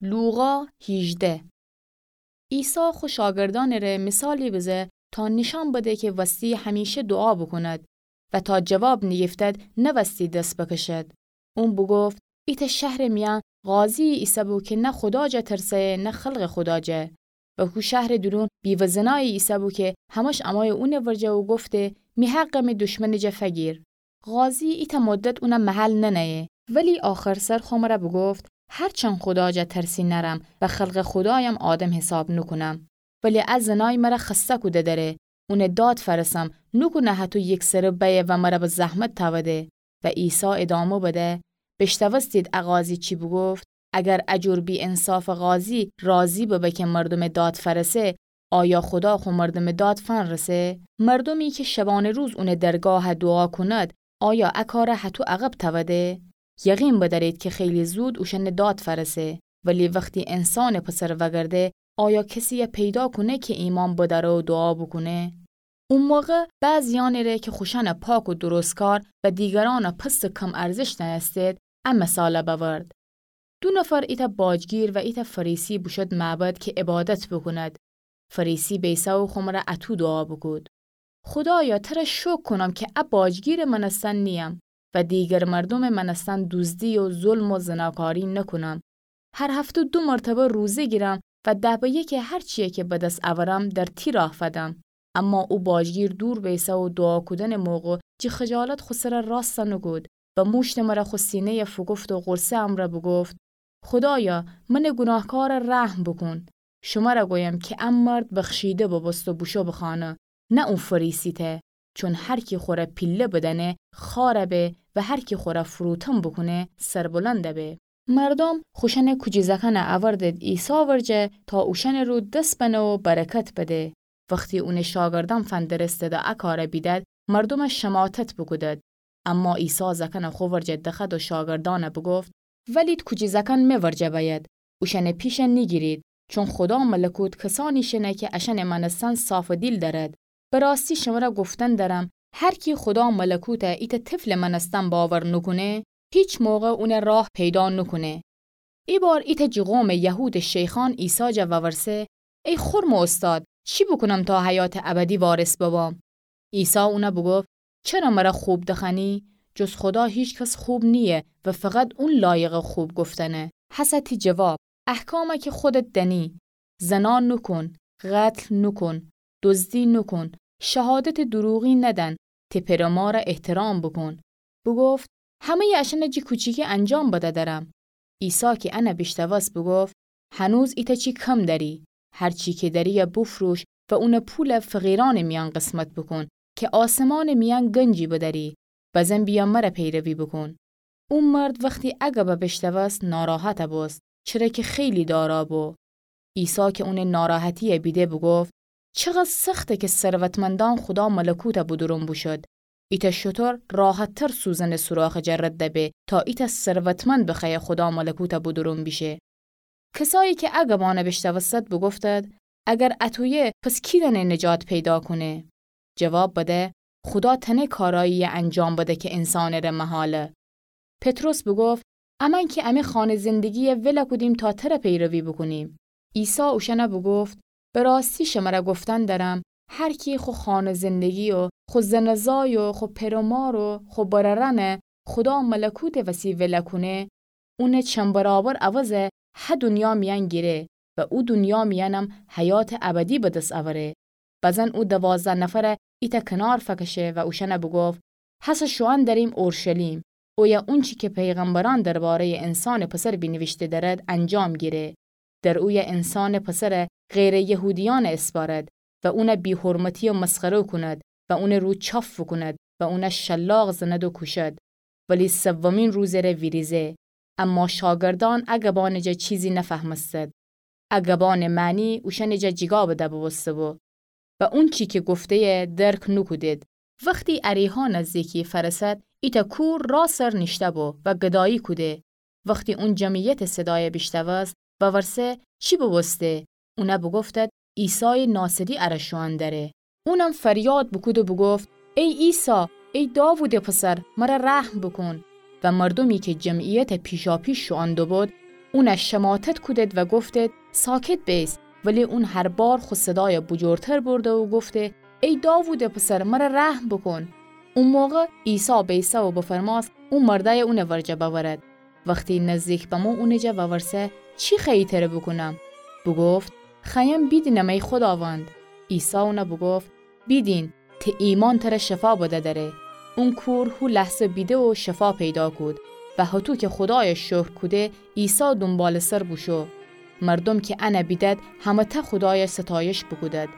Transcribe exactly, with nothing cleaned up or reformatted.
لوقا هیجده. عیسی خو شاگردأنٚ ره مثالی بزه تا نیشأن بده کی وستی همیشه دوعا بوکوند و تا جواب نیگیفتد نوستی دس بکشد. اون بوگفت: ایتأ شهرٚ میأن قاضی‌یی ایسه‌بو کی نه خودا جا ترسه‌یه نه خلقٚ خودا جا. و هو شهرٚ دورون بیوه‌زنایی ایسه‌بو کی همش امویه اونٚ ورجه و گفته: می حقه می دشمنٚ جا فگیر. قاضی ایتأ مدت اونه محل ننه‌یه، ولی آخرسر خو مره بوگفت: هرچند خودا جا ترسی نأرم و خلقٚ خودایم آدم حساب نوکونم، ولی ا زنای مره خسته کوده دأره، اونٚ داد فأرسم، نوکونه هطو یکسره بأیه و مره به زحمت تأوده. و عیسی ادامه بده: بیشنوستید ا قاضی چی بوگفت؟ اگر ا جور بی‌انصافٚ قاضی راضی ببه کی مردومٚ داد فأرسه، آیا خودا خو مردومٚ داد فنرسه؟ مردومی کی شبانه‌روز اونٚ درگاه دوعا کوند، آیا ا کاره هطو عقب تأوده؟ یقین بدأرید کی خیلی زود اوشأنٚ داد فأرسه، ولی وختی انسانٚ پسر وگرده، آیا کسی‌یی پیدا کونه کی ایمأن بدأره و دوعا بوکونه؟ او موقع بعضی‌یأنٚ ره کی خوشأنٚ پاک و درستکار و دیگرأنٚ پست کم‌ارزش دأنستید، ا مثال بأورد: دو نفر، ایتأ باجگیر و ایتأ فریسی، بوشد معبد کی عبادت بوکوند. فریسی بیسه و خو مره اطو دوعا بوکود: خودایا، تره شوکر کونم کی ا باجگیرٚ مأنستن نییم و دیگر مردومٚ مأنستن دوزدی و ظلم و زناکاری نوکونم. هر هفته دو مرتبه روزه گیرم و ده به یکٚ هرچی‌یی کی به دس اورم در تی راه فدم. اما او باجگیر دور بیسه و دوعا کودنٚ موقع جٚه خجالت خو سره راسته نوکود و موشتٚ مره خو سینه‌یه فوکفت و غورصه امرأ بوگفت: خودایا، منٚ گوناهکاره رحم بوکون. شمره گویم کی ا مرد بخشیده بوبوست و بوشو به خانه، نه او فریسی ته. چون هر کی خوره پیله بدأنه خوأر به و هر کی خوره فروتن بوکونه سربلند به. مردوم خوشأنٚ کوجی‌زأکأنه اوردد عیسی ورجه تا اوشأنٚ رو دس بنه و برکت بده. وختی اونٚ شاگردأن فندرستد ا کاره بیدد، مردومه شماتت بوکودد. اما عیسی زأکأنه خو ورجه دخوأد و شاگردأنه بوگفت: ولید کوجی‌زأکأن می ورجه بأید، اوشأنٚ پیشه نیگیرید، چون خودا ملکوت کسأنی شنه کی اشأنٚ مأنستن صافٚ دیل دأرد. به راستی شمره گفتن دأرم، هر کی خودا ملکوته ایتأ طفلٚ مأنستن باور نوکونه، هیچ موقع اونه راه پیدا نوکونه. ای بار ایتأ جٚه قومٚ یهودٚ شیخأن عیسی جا وورسه: ای خورمٚ اوستاد، چی بوکونم تا حیاتٚ ابدی وارث ببم؟ عیسی اونه بوگفت: چره مره خوب دخوأنی؟ جز خودا هیچ کس خوب نییه و فقط اون لایقٚ خوب گفتنه. هسه تی جواب: احکامه کی خودت دأنی، زنا نوکون، قتل نوکون، دزدی نوکون، شهادتٚ دروغی ندن، تی پئر و ماره احترام بوکون. بوگفت: همه‌یٚ اشأنه جٚه کوچیکی انجام بده دأرم. عیسی کی انه بیشنوست بوگفت: هنوز ایتأ چی کم دأری؟ هر چی کی دأری‌یه بوفروش و اونٚ پوله فقیرأنٚ میأن قسمت بوکون کی آسمانٚ میأن گنجی بدأری. بزن بیأ مره پیروی بوکون. او مرد وختی ا گبه بیشنوست ناراحت بوست، چره کی خیلی دارا بو. عیسی کی اونٚ ناراحتی‌یه بیده بوگفت: چقدر سخته کی ثروتمندأن خودا ملکوته بودورون بوشد. ایتأ شتر راحت‌تر سوزنٚ سوراخٚ جا رد به تا ایتأ ثروتمند بخوأیه خودا ملکوته بودورون بیشه. کسایی کی ا گبأنه بیشنوستد بوگفتد: اگر اطویه، پس کی دأنه نجات پیدا کونه؟ جواب بده: خودا تأنه کارأیی‌یه انجام بده کی انسانٚ ره محاله. پطرس بوگفت: امأن کی امی خانه زندگی‌یه ول کودیم تا تره پیروی بوکونیم. عیسی اوشأنه بوگفت: به راستی شمره گفتن دأرم، هر کی خو خانه زندگی و خو زن و زای و خو پئر و مار و خو برأرأنه خودا ملکوتٚ وسی ول کونه، اونٚ چند برابر عوضه هه دونیا میأن گیره و او دونیا میأنم حیاتٚ ابدی به دس اوره. بزن او دوازده نفره ایتأ کنار فکشه و اوشأنه بوگفت: هسه شوئن دأریم اورشلیم، اویه اونچی کی پیغمبرأن درباره‌یٚ انسانٚ پسر بینیویشته دأرد انجام گیره. در اویه انسانٚ پسره غیرٚ یهودیأنه اسپأرد و اونه بی‌حرمتی و مسخره کونید و اونٚ رو چاف بوکونید و اونه شلاق زنید و کوشید، ولی سومین روزٚ ره ویریزه. اما شاگردأن ا گبأنٚ جا چیزی نفهمستید. ا گبأنٚ معنی اوشأنٚ جا جیگا بده بوبوسته‌بو و اونچی کی گفته‌یه درک نوکودید. وختی اریحا نزدیکی فأرسد، ایتأ کور راه سر نیشته‌بو و گدایی کوده. وختی اون جمعیتٚ صدایه بیشنوست، وورسه: چی بوبوسته؟ اونه بوگفتد: عیسایٚ ناصری اره شوئن دأره. اونم فریاد بوکود و بوگفت: ای عیسی، ای داوودٚ پسر، مره رحم بوکون. و مردومی کی جمعیته پیشاپیش شوئن دوبود، اونَ شماتت کودد و گفتد: ساکت بئیس. ولی اون هر بار خو صدایَ بوجورتر برده و گفته: ای داوودٚ پسر، مرَ رحم بوکون. او موقع عیسی بئیسه و بفرمأست او مردأیَ اونٚ ورجه بأورد. وختی نزدیک بمو اونٚ جا وورسه: چی خوأیی ترَ بوکونم؟ بوگفت: خوأیم بیدینم ای خوداوند. عیسی اونَ بوگفت: بیدین، ته ایمأن ترَ شفا بدأ دأره. اون کور هو لحظه بیده و شفا پیدا کود و هطو کی خودایَ شکر کوده، عیسی دونبالٚ سر بوشو. مردوم کی انَ بیدد، همه‌تأ خودایَ ستایش بوکودد.